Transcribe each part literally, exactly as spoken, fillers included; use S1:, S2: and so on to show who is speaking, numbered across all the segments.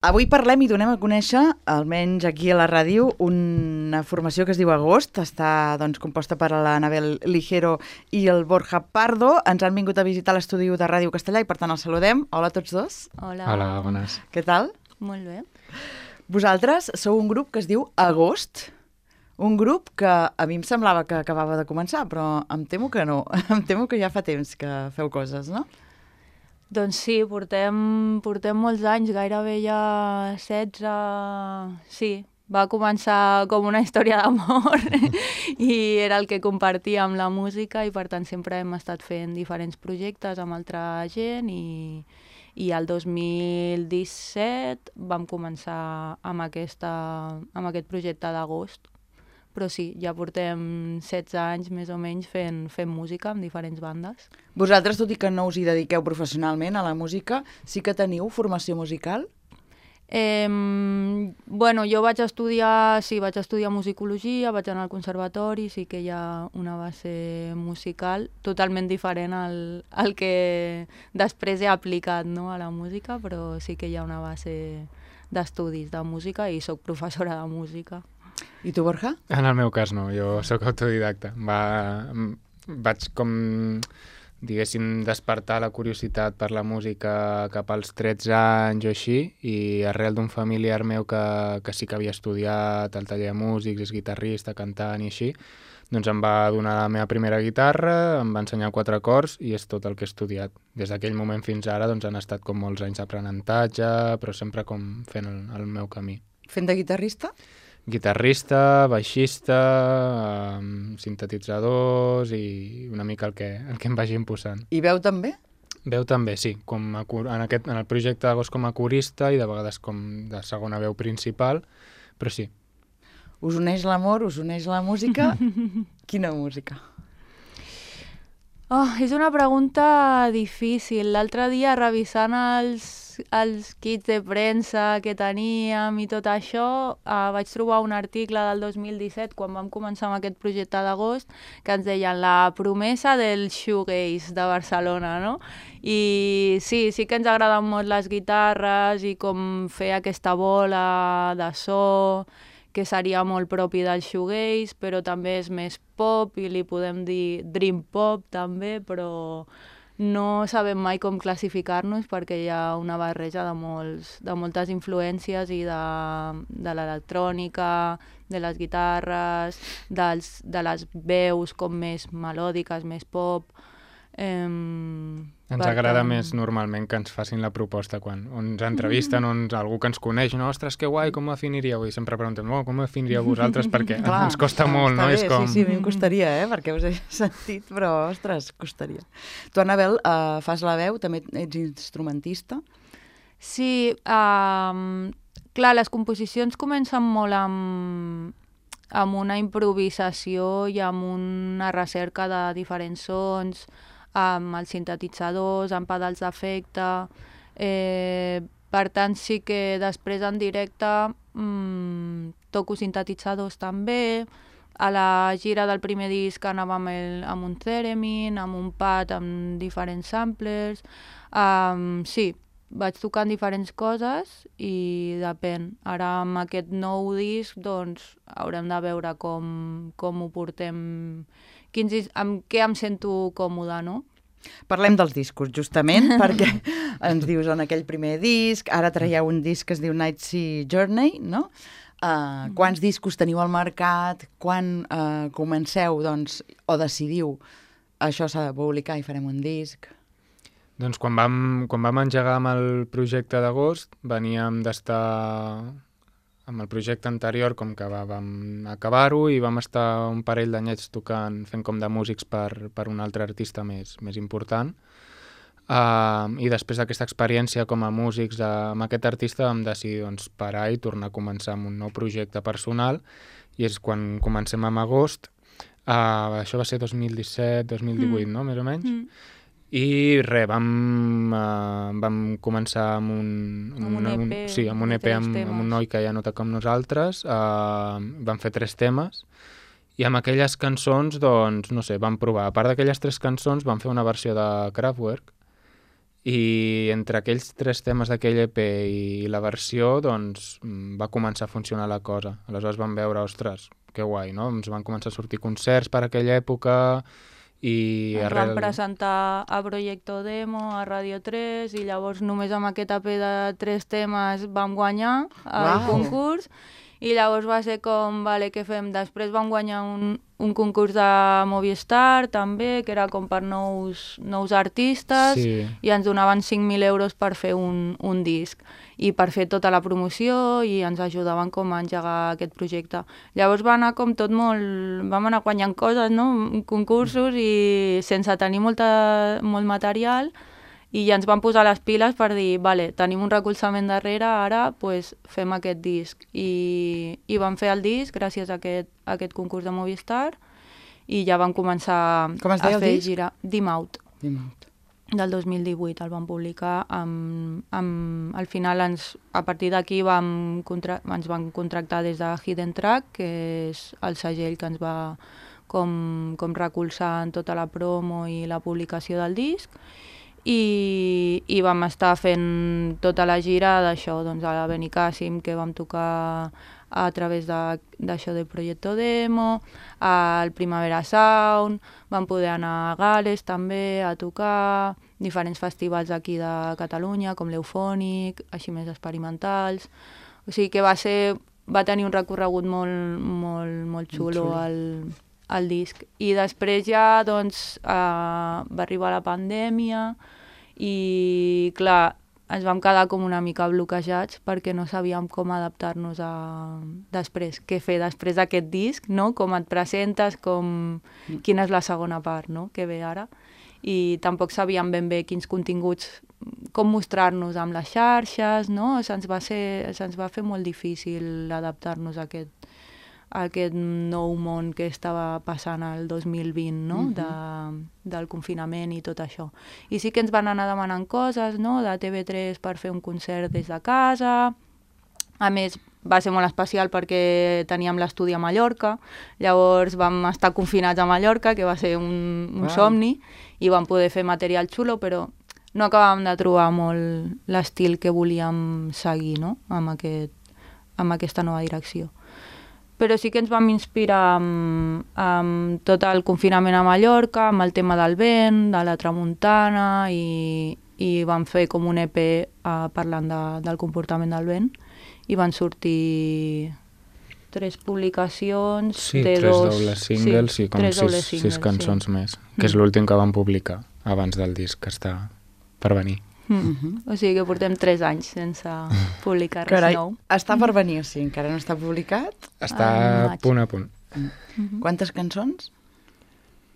S1: Avui parlem i donem a conèixer, almenys aquí a la ràdio, una formació que es diu Agost. Està doncs, composta per l'Anabel Ligero i el Borja Pardo. Ens han vingut a visitar l'estudi de Ràdio Castellà i per tant els saludem. Hola a tots dos.
S2: Hola.
S3: Hola, bones.
S1: Què tal?
S2: Molt bé.
S1: Vosaltres sou un grup que es diu Agost. Un grup que a mi em semblava que acabava de començar, però em temo que no. Em temo que ja fa temps que feu coses, no?
S2: Doncs sí, portem, portem molts anys, gairebé ja setze... Sí, va començar com una història d'amor i era el que compartíem la música i per tant sempre hem estat fent diferents projectes amb altra gent i, i el dos mil disset vam començar amb, aquesta, amb aquest projecte d'Agost. Però sí, ja portem setze anys més o menys fent, fent música amb diferents bandes.
S1: Vosaltres, tot i que no us hi dediqueu professionalment a la música, sí que teniu formació musical?
S2: Eh, bueno, jo vaig estudiar, sí, vaig estudiar musicologia, vaig anar al conservatori, sí que hi ha una base musical totalment diferent al, al que després he aplicat, no, a la música, però sí que hi ha una base d'estudis de música i soc professora de música.
S1: I tu, Borja?
S3: En el meu cas no, jo sóc autodidacta. Va, vaig com, diguéssim, despertar la curiositat per la música cap als tretze anys o així, i arrel d'un familiar meu que, que sí que havia estudiat al taller de músics, és guitarrista, cantant i així, doncs em va donar la meva primera guitarra, em va ensenyar quatre acords i és tot el que he estudiat. Des d'aquell moment fins ara doncs, han estat com molts anys d'aprenentatge, però sempre com fent el, el meu camí.
S1: Fent de guitarrista?
S3: Guitarrista, baixista, um, sintetitzadors i una mica el que, el que em vagi imposant.
S1: I veu també?
S3: Veu també, sí. Com a, en, aquest, en el projecte d'Agost com a corista i de vegades com de segona veu principal, però sí.
S1: Us uneix l'amor, us uneix la música. Quina música?
S2: Oh, és una pregunta difícil. L'altre dia, revisant els, els kits de premsa que teníem i tot això, eh, vaig trobar un article del dos mil disset, quan vam començar amb aquest projecte d'Agost, que ens deien la promesa del shoegaze de Barcelona, no? I sí, sí que ens agraden molt les guitarres i com fer aquesta bola de so que seria molt propi del shoegaze, però també és més pop i li podem dir dream pop també, però no sabem mai com classificar-nos perquè hi ha una barreja de, molts, de moltes influències i de, de l'electrònica, de les guitarres, dels, de les veus com més melòdiques, més pop. Eh,
S3: ens agrada tant... més normalment que ens facin la proposta quan ens entrevisten o ens, algú que ens coneix, no? Ostres, que guai, com ho definiríeu? I sempre preguntem, oh, com ho definiríeu vosaltres? Perquè clar, ens costa molt, no?
S1: Bé,
S3: És com...
S1: Sí, sí, a mi em costaria, eh? Perquè us he sentit, però, ostres, costaria. Tu, Anabel, uh, fas la veu, també ets instrumentista?
S2: Sí, uh, clar, les composicions comencen molt amb, amb una improvisació i amb una recerca de diferents sons, amb els sintetitzadors, amb pedals d'efecte. Eh, per tant, sí que després en directe mmm, toco sintetitzadors també. A la gira del primer disc anava amb, el, amb un theremin, amb un pad, amb diferents samplers. Um, sí, vaig tocant diferents coses i depèn. Ara amb aquest nou disc doncs, haurem de veure com, com ho portem, quins, amb què em sento còmoda, no?
S1: Parlem dels discos, justament, perquè ens dius en aquell primer disc, ara traieu un disc que es diu Night Sea Journey, no? Uh, quants discos teniu al mercat? Quan uh, comenceu, doncs, o decidiu això s'ha de publicar i farem un disc?
S3: Doncs quan vam, quan vam engegar amb el projecte d'Agost, veníem d'estar amb el projecte anterior, com que va, vam acabar-ho i vam estar un parell d'anyets tocant, fent com de músics per, per un altre artista més, més important. Uh, I després d'aquesta experiència com a músics de, amb aquest artista vam decidir doncs, parar i tornar a començar amb un nou projecte personal, i és quan comencem amb Agost. Uh, això va ser dos mil disset dos mil divuit, mm. no? Més o menys. Mm. I res, vam, uh, vam començar amb un, amb
S2: amb un E P,
S3: un, sí, amb un E P amb, amb un noi que ja no toca amb nosaltres, uh, vam fer tres temes, i amb aquelles cançons, doncs, no sé, vam provar. A part d'aquelles tres cançons, vam fer una versió de Kraftwerk, I entre aquells tres temes d'aquell E P i la versió, doncs, va començar a funcionar la cosa. Aleshores vam veure, ostres, que guai, no? Ens van començar a sortir concerts per aquella època i...
S2: Ens
S3: arrel...
S2: van presentar a Proyecto Demo, a Radio tres, i llavors només amb aquest E P de tres temes vam guanyar el
S1: Uau.
S2: concurs. I llavors va ser com, vale, què fem? Després vam guanyar un, un concurs de Movistar, també, que era com per nous, nous artistes,
S3: Sí.
S2: i ens donaven cinc mil euros per fer un, un disc i per fer tota la promoció, i ens ajudaven com a engegar aquest projecte. Llavors va anar com tot molt... Vam anar guanyant coses, no? Concursos, i sense tenir molta, molt material, i ja ens van posar les piles per dir, vale, tenim un recolzament darrere, ara pues, fem aquest disc. I, i vam fer el disc gràcies a aquest, a aquest concurs de Movistar, i ja vam començar
S1: Com es
S2: a
S1: deia el
S2: fer
S1: disc?
S2: gira. Dim Out,
S1: Dimot.
S2: del dos mil divuit, el vam publicar. Amb, amb, al final, ens, a partir d'aquí vam contra, ens van contractar des de Hidden Track, que és el segell que ens va com, com recolzar en tota la promo i la publicació del disc. I, i vam estar fent tota la gira d'això, doncs a la Benicàssim, que vam tocar a través d'això de, de Proyecto Demo, al Primavera Sound, vam poder anar a Gales també a tocar, diferents festivals aquí de Catalunya, com l'Eufònic, així més experimentals. O sigui que va ser, va tenir un recorregut molt, molt, molt xulo,
S1: xulo.
S2: el, el disc. I després ja doncs, eh, va arribar la pandèmia i, clar, ens vam quedar com una mica bloquejats perquè no sabíem com adaptar-nos a després, què fer després d'aquest disc, no? Com et presentes, com... quina és la segona part, no? Que ve ara. I tampoc sabíem ben bé quins continguts, com mostrar-nos amb les xarxes, no? Se'ns va, ser, se'ns va fer molt difícil adaptar-nos a aquest, a aquest nou món que estava passant el dos mil vint, no?
S1: Mhm.
S2: de, del confinament i tot això. I sí que ens van anar demanant coses, no? De T V tres per fer un concert des de casa. A més, va ser molt especial perquè teníem l'estudi a Mallorca, llavors vam estar confinats a Mallorca, que va ser un, un
S1: Uau.
S2: somni, i vam poder fer material xulo, però no acabàvem de trobar molt l'estil que volíem seguir, no? amb, aquest, amb aquesta nova direcció. Però sí que ens vam inspirar amb, amb tot el confinament a Mallorca, amb el tema del vent, de la tramuntana, i, i vam fer com un E P uh, parlant de, del comportament del vent, i van sortir tres publicacions
S3: Sí,
S2: de
S3: tres
S2: dos...
S3: dobles singles
S2: sí,
S3: i com
S2: tres
S3: sis,
S2: dobles
S3: sis
S2: singles,
S3: cançons
S2: sí.
S3: més, que és l'últim que vam publicar abans del disc que està per venir.
S2: Mm.
S1: Mhm.
S2: O sigui que portem tres anys sense publicar res
S1: Carai,
S2: nou.
S1: està per venir, o sigui, encara no està publicat.
S3: Està
S2: En
S3: a
S2: maig.
S3: punt a punt.
S2: Mhm.
S1: Quantes cançons?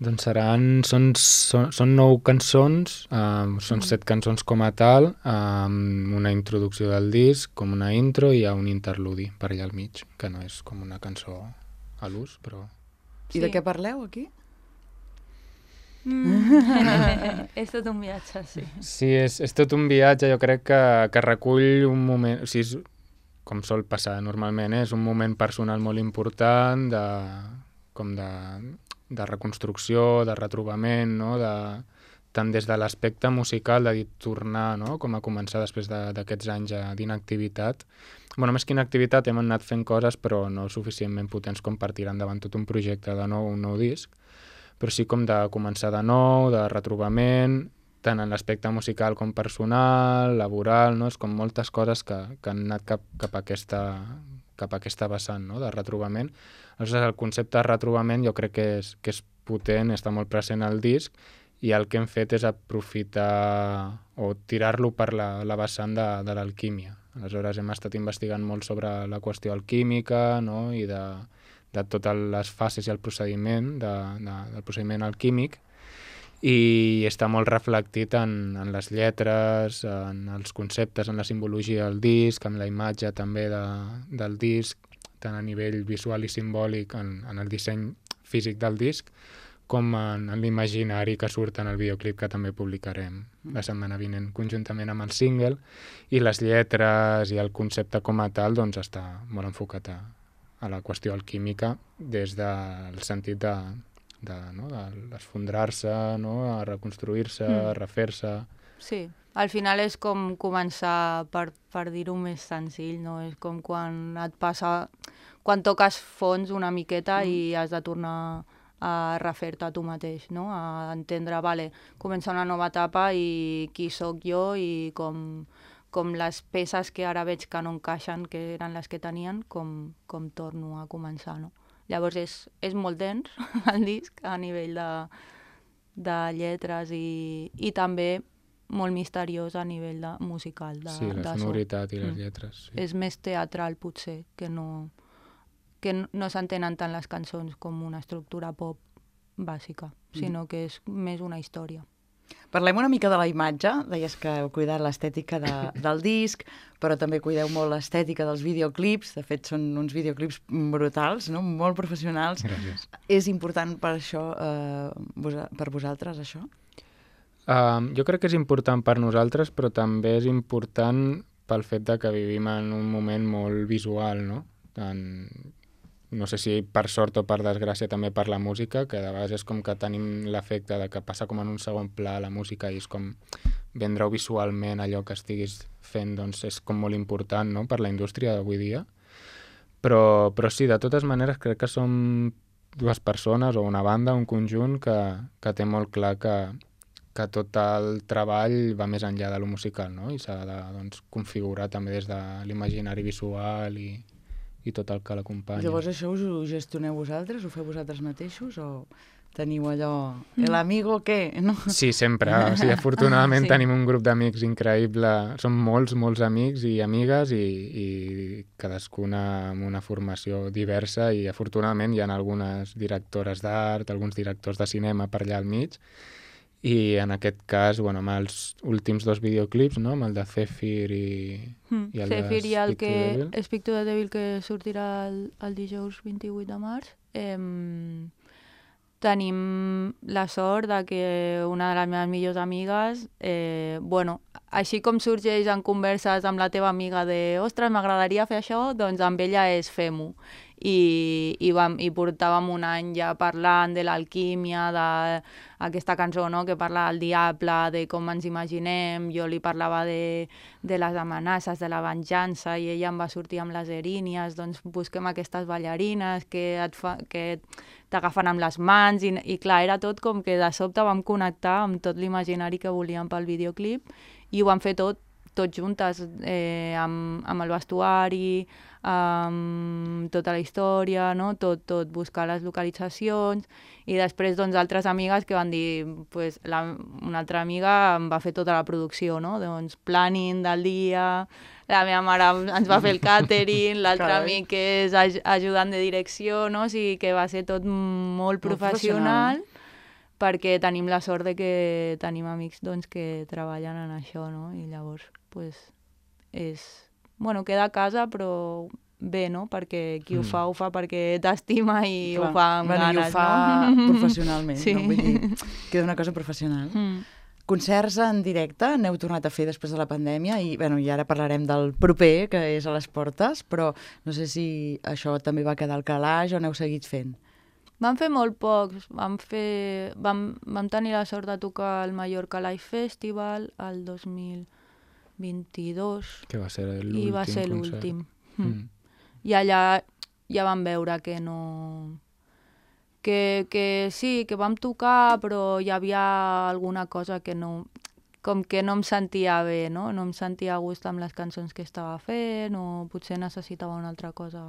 S3: Doncs seran, són, són, són nou cançons, um, són set cançons com a tal, amb una introducció del disc, com una intro, i hi ha un interludi per allà al mig, que no és com una cançó a l'ús, però...
S1: I de què parleu, aquí?
S2: Mm. És tot un viatge, sí.
S3: Sí, és, és tot un viatge, jo crec que, que recull un moment, o sigui, és, com sol passar normalment, eh? És un moment personal molt important, de, com de, de reconstrucció, de retrobament, no? De, tant des de l'aspecte musical, de dir, tornar, no? Com a començar després d'aquests de, anys d'inactivitat. Bueno, més que inactivitat, hem anat fent coses, però no suficientment potents com per tirar endavant tot un projecte de nou, un nou disc, però sí com de començar de nou, de retrobament, tant en l'aspecte musical com personal, laboral, no? És com moltes coses que, que han anat cap, cap, a aquesta, cap a aquesta vessant, no? De retrobament. Aleshores, el concepte de retrobament jo crec que és, que és potent, està molt present al disc, i el que hem fet és aprofitar o tirar-lo per la, la vessant de, de l'alquímia. Aleshores, hem estat investigant molt sobre la qüestió alquímica, no? I de, de totes les fases i el procediment, de, de, del procediment alquímic, i està molt reflectit en, en les lletres, en els conceptes, en la simbologia del disc, en la imatge també de, del disc, tant a nivell visual i simbòlic, en, en el disseny físic del disc, com en, en l'imaginari que surt en el videoclip que també publicarem la setmana vinent, conjuntament amb el single, i les lletres i el concepte com a tal doncs està molt enfocat a, a la qüestió alquímica des del sentit de, de, no, d'esfondrar-se, no, a reconstruir-se,
S2: Mm.
S3: a refer-se...
S2: Sí, Al final és com començar, per, per dir-ho més senzill, no? És com quan et passa, quan toques fons una miqueta mm. i has de tornar a refer-te a tu mateix, no? A entendre, vale, comença una nova etapa i qui sóc jo i com, com les peces que ara veig que no encaixen, que eren les que tenien, com, com torno a començar, no? Llavors és, és molt dens el disc a nivell de, de lletres i, i també molt misteriós a nivell de, musical. De,
S3: sí, la
S2: de
S3: sonoritat
S2: so.
S3: i les
S2: mm.
S3: lletres. Sí.
S2: És més teatral, potser, que no, que no, no s'entenen tant les cançons com una estructura pop bàsica, mm. sinó que és més una història.
S1: Parlem una mica de la imatge. Deies que heu cuidat l'estètica de, del disc, però també cuideu molt l'estètica dels videoclips. De fet, són uns videoclips brutals, no? Molt professionals.
S3: Gràcies.
S1: És important per això, eh, vos, per vosaltres, això?
S3: Uh, jo crec que és important per nosaltres, però també és important pel fet de que vivim en un moment molt visual, no? En, no sé si per sort o per desgràcia també per la música, que de vegades és com que tenim l'efecte de que passa com en un segon pla la música i és com vendre-ho visualment allò que estiguis fent, doncs és com molt important, no?, per la indústria d'avui dia. Però, però sí, de totes maneres crec que som dues persones o una banda, un conjunt que, que té molt clar que que tot el treball va més enllà de lo musical, no? I s'ha de doncs, configurar també des de l'imaginari visual i, i tot el que l'acompanya.
S1: Llavors això us ho gestioneu vosaltres? Ho feu vosaltres mateixos? O teniu allò... El amigo què? No?
S3: Sí, sempre. O sigui, afortunadament
S2: sí.
S3: tenim un grup d'amics increïble. Som molts, molts amics i amigues i, i cadascuna amb una formació diversa i afortunadament hi ha algunes directores d'art, alguns directors de cinema per allà al mig. I en aquest cas, bueno, amb els últims dos videoclips, no?, amb el de Zephyr i,
S2: mm.
S3: i el
S2: Zephyr
S3: de
S2: i el
S3: Speak
S2: que,
S3: to the Devil.
S2: Speak to the Devil, que sortirà el, el dijous vint-i-vuit de març. Eh, tenim la sort de que una de les meves millors amigues, eh, bueno, així com sorgeix en converses amb la teva amiga de ostres, m'agradaria fer això, doncs amb ella és fem-ho. I, i, vam, i portàvem un any ja parlant de l'alquímia, d'aquesta cançó, no?, que parla del diable, de com ens imaginem, jo li parlava de, de les amenaces, de la venjança, i ella em va sortir amb les erínies, doncs busquem aquestes ballarines que et fa, que t'agafen amb les mans, i, i clar, era tot com que de sobte vam connectar amb tot l'imaginari que volíem pel videoclip, i ho vam fer tot, tot juntes, eh, amb, amb el vestuari, amb tota la història, no? tot, tot, buscar les localitzacions, i després doncs altres amigues que van dir, pues, la, una altra amiga em va fer tota la producció, no? Doncs planning del dia, la meva mare ens va fer el catering, l'altre amic que és aj ajudant de direcció, no? O sigui que va ser tot molt professional, professional, perquè tenim la sort de que tenim amics doncs, que treballen en això, no? I llavors, pues, és... Bueno, queda a casa, però bé, no? Perquè qui mm. ho fa, ho fa perquè t'estima i clar, ho fa amb
S1: bueno,
S2: ganes,
S1: i ho fa
S2: no?
S1: professionalment,
S2: sí.
S1: no? Vull dir, queda una cosa professional. Mm. Concerts en directe n'heu tornat a fer després de la pandèmia i, bueno, i ara parlarem del proper, que és a les portes, però no sé si això també va quedar al calaix o n'heu seguit fent.
S2: Vam fer molt pocs. Vam, fer... vam, vam tenir la sort de tocar al Mallorca Live Festival el dos mil vint-i-dos.
S3: Que va ser l'últim
S2: I va ser
S3: concert.
S2: l'últim.
S3: Mm.
S2: Mm. I allà ja vam veure que no... Que, que sí, que vam tocar, però hi havia alguna cosa que no... Com que no em sentia bé, no? No em sentia a gust amb les cançons que estava fent, o potser necessitava una altra cosa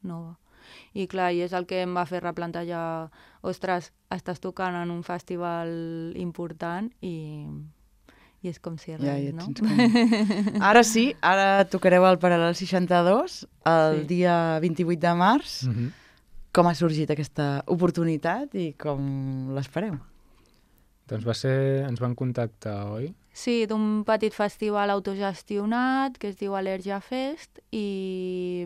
S2: nova. I clar, i és el que em va fer replantejar, ostres, estàs tocant en un festival important i... I és com si res,
S1: ja, ja
S2: no?
S1: Com... Ara sí, ara tocareu el Paral·lel seixanta-dos, el sí. dia vint-i-vuit de març. Mm-hmm. Com ha sorgit aquesta oportunitat i com l'espereu?
S3: Doncs va ser... ens van contactar, oi?
S2: Sí, d'un petit festival autogestionat que es diu Al·lèrgia Fest i,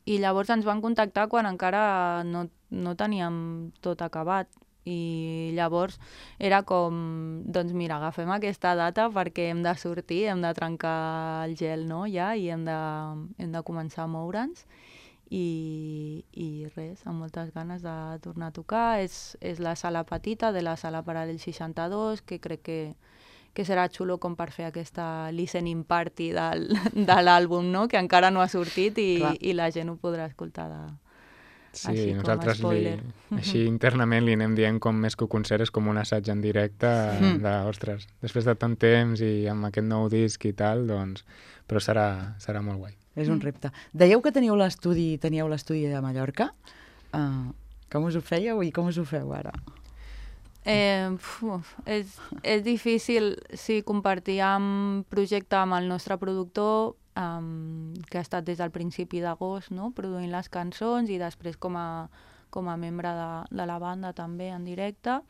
S2: i llavors ens van contactar quan encara no, no teníem tot acabat. I llavors era com, doncs mira, agafem aquesta data perquè hem de sortir, hem de trencar el gel, no?, ja, i hem de, hem de començar a moure'ns. I, i res, amb moltes ganes de tornar a tocar. És, és la sala petita de la sala Paral·lel seixanta-dos, que crec que, que serà xulo com per fer aquesta listening party del, de l'àlbum, no? Que encara no ha sortit i, i la gent ho podrà escoltar de,
S3: sí,
S2: així
S3: nosaltres
S2: com a spoiler.
S3: Li, així internament li anem dient com més que un concert és com un assaig en directe
S1: Mm.
S3: de, ostres, després de tant temps i amb aquest nou disc i tal, doncs, però serà, serà molt guai.
S1: És un repte. Dèieu que teníeu l'estudi teníeu l'estudi a Mallorca. Uh, com us ho fèieu i com us ho feu ara?
S2: Eh, uf, és, és difícil, sí, compartir amb projecte amb el nostre productor, um, que ha estat des del principi d'agost, no?, produint les cançons i després com a, com a membre de, de la banda també en directe,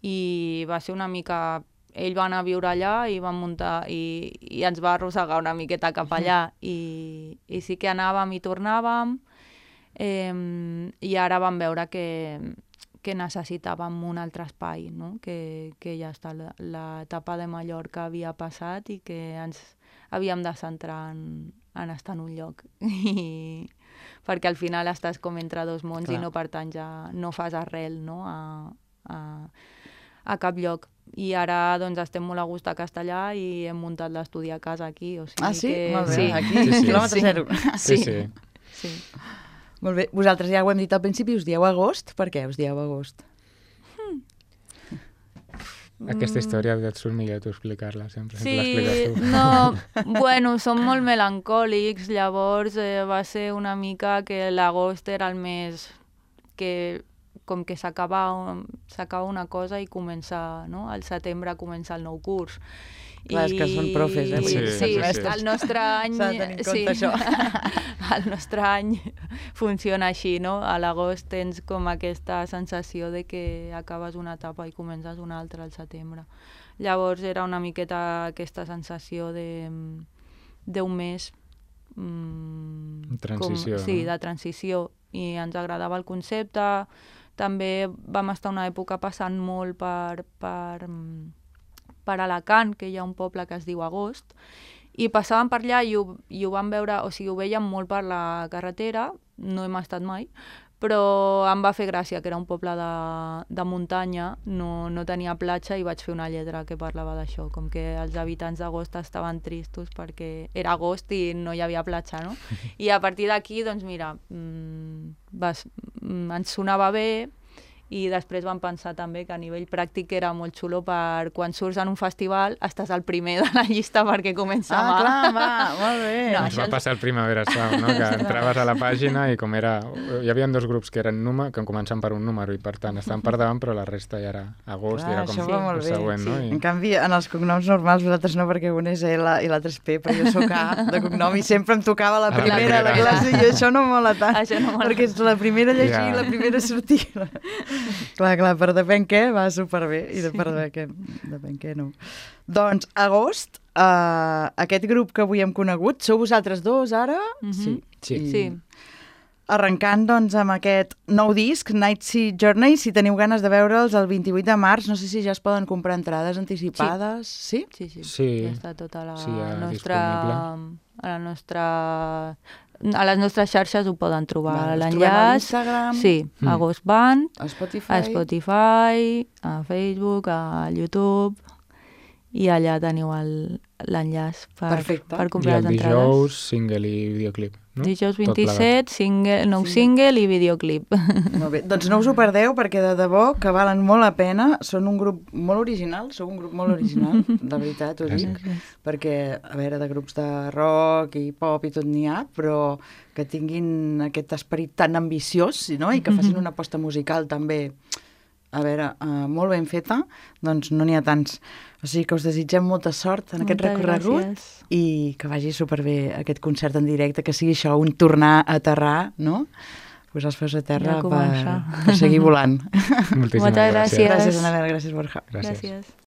S2: i va ser una mica... Ell va anar a viure allà i van muntar i, i ens va arrossegar una miqueta cap allà i, i sí que anàvem i tornàvem, eh, i ara vam veure que, que necessitàvem un altre espai, no? que, que ja està, l'etapa de Mallorca havia passat i que ens havíem de centrar en, en estar en un lloc. I, perquè al final estàs com entre dos mons. Clar. I no, per tant, ja no fas arrel, no?, a, a, a cap lloc. I ara doncs estem molt a gust a Castellà i hem muntat l'estudi a casa aquí. O sigui
S1: ah, sí?
S2: Que...
S1: Molt bé,
S2: sí.
S1: aquí,
S3: Sí, sí.
S1: quilòmetre zero.
S3: Sí, sí.
S2: sí.
S1: Molt bé, vosaltres ja ho hem dit al principi, us dieu agost? Per què us dieu agost?
S3: Aquesta història et surt millor tu explicar-la, sempre,
S2: Sí,
S3: sempre l'expliques tu.
S2: no, bueno, som molt melancòlics, llavors eh, va ser una mica que l'agost era el mes que com que s'acaba s'acaba una cosa i comença, no?, al setembre comença el nou curs.
S1: Clar, és que són profes, eh?
S3: Sí,
S2: Sí,
S3: sí,
S2: sí,
S3: sí.
S2: el nostre any...
S1: S'ha de tenir en compte
S2: sí,
S1: això.
S2: el nostre any funciona així, no? A l'agost tens com aquesta sensació de que acabes una etapa i comences una altra al setembre. Llavors era una miqueta aquesta sensació de d'un mes... Mm,
S3: transició,
S2: com, sí,
S3: no?
S2: de transició. I ens agradava el concepte. També vam estar una època passant molt per... per per Alacant, que hi ha un poble que es diu Agost, i passàvem per allà i ho, i ho vam veure, o sigui, ho veiem molt per la carretera, no hem estat mai, però em va fer gràcia, que era un poble de, de muntanya, no, no tenia platja, i vaig fer una lletra que parlava d'això, com que els habitants d'Agost estaven tristos perquè era agost i no hi havia platja, no? I a partir d'aquí, doncs mira, mmm, vas, mm, ens sonava bé, i després vam pensar també que a nivell pràctic era molt xulo per quan surts en un festival estàs el primer de la llista perquè comença
S1: Ah,
S2: mà.
S1: clar, va, molt bé.
S2: No,
S3: Ens va passar el Primavera Sound, no? Que entraves a la pàgina i com era... Hi havia dos grups que eren número, que començaven per un número i per tant estaven per davant, però la resta ja era agost
S1: Clar,
S3: i era com
S1: això va molt
S3: el
S1: bé,
S3: següent, no?
S1: En
S3: I...
S1: canvi, en els cognoms normals, vosaltres no, perquè un és L i l'altre és P, però jo sóc A de cognom i sempre em tocava la
S3: A la
S1: primera a la
S3: primera.
S1: classe i això no mola tant,
S2: Això no mola.
S1: perquè és la primera a llegir i
S3: Ja.
S1: la primera a sortir. Clar, clar, per depèn què va superbé i de per què, depèn què no. Doncs, agost, uh, aquest grup que avui hem conegut, sou vosaltres dos ara?
S2: Mhm.
S1: Sí.
S3: Sí.
S1: I
S2: Sí.
S1: Arrencant, doncs, amb aquest nou disc, Night Sea Journey, si teniu ganes de veure'ls el vint-i-vuit de març, no sé si ja es poden comprar entrades anticipades, sí?
S2: Sí, sí,
S3: Sí.
S2: ja està tota la
S3: Sí, ja
S2: nostra...
S3: disponible.
S2: A la nostra... A les nostres xarxes ho poden trobar.
S1: Vale, us trobem a
S2: L'enllaç...
S1: l'Instagram,
S2: Sí,
S3: Mm.
S2: a Ghost Band,
S1: a Spotify.
S2: a Spotify, a Facebook, a YouTube, i allà teniu el- l'enllaç per,
S1: Perfecte.
S2: per
S3: I
S2: comprar
S3: el
S2: les entrades.
S3: dijous, single i videoclip, no?
S2: Dijous
S3: Tot plegat.
S2: vint-i-set, single, nou
S1: Sí.
S2: single i videoclip.
S1: Molt bé. Doncs no us ho perdeu, perquè de debò que valen molt la pena. Són un grup molt original, sou un grup molt original, de veritat, ho dic. Perquè, a veure, de grups de rock i pop i tot n'hi ha, però que tinguin aquest esperit tan ambiciós, no? I que facin una aposta musical també, a veure, uh, molt ben feta, doncs no n'hi ha tants. O sigui que us desitgem molta sort en aquest
S2: Moltes
S1: recorregut
S2: gràcies.
S1: i que vagi superbé aquest concert en directe, que sigui això, un tornar a aterrar, no? Posar els peus a terra
S2: Ja
S1: per,
S2: comença.
S1: per seguir volant.
S3: Moltíssimes
S2: Moltes
S3: gràcies.
S2: gràcies.
S1: Gràcies, Anabel, gràcies, Borja.
S3: Gràcies.
S2: Gràcies.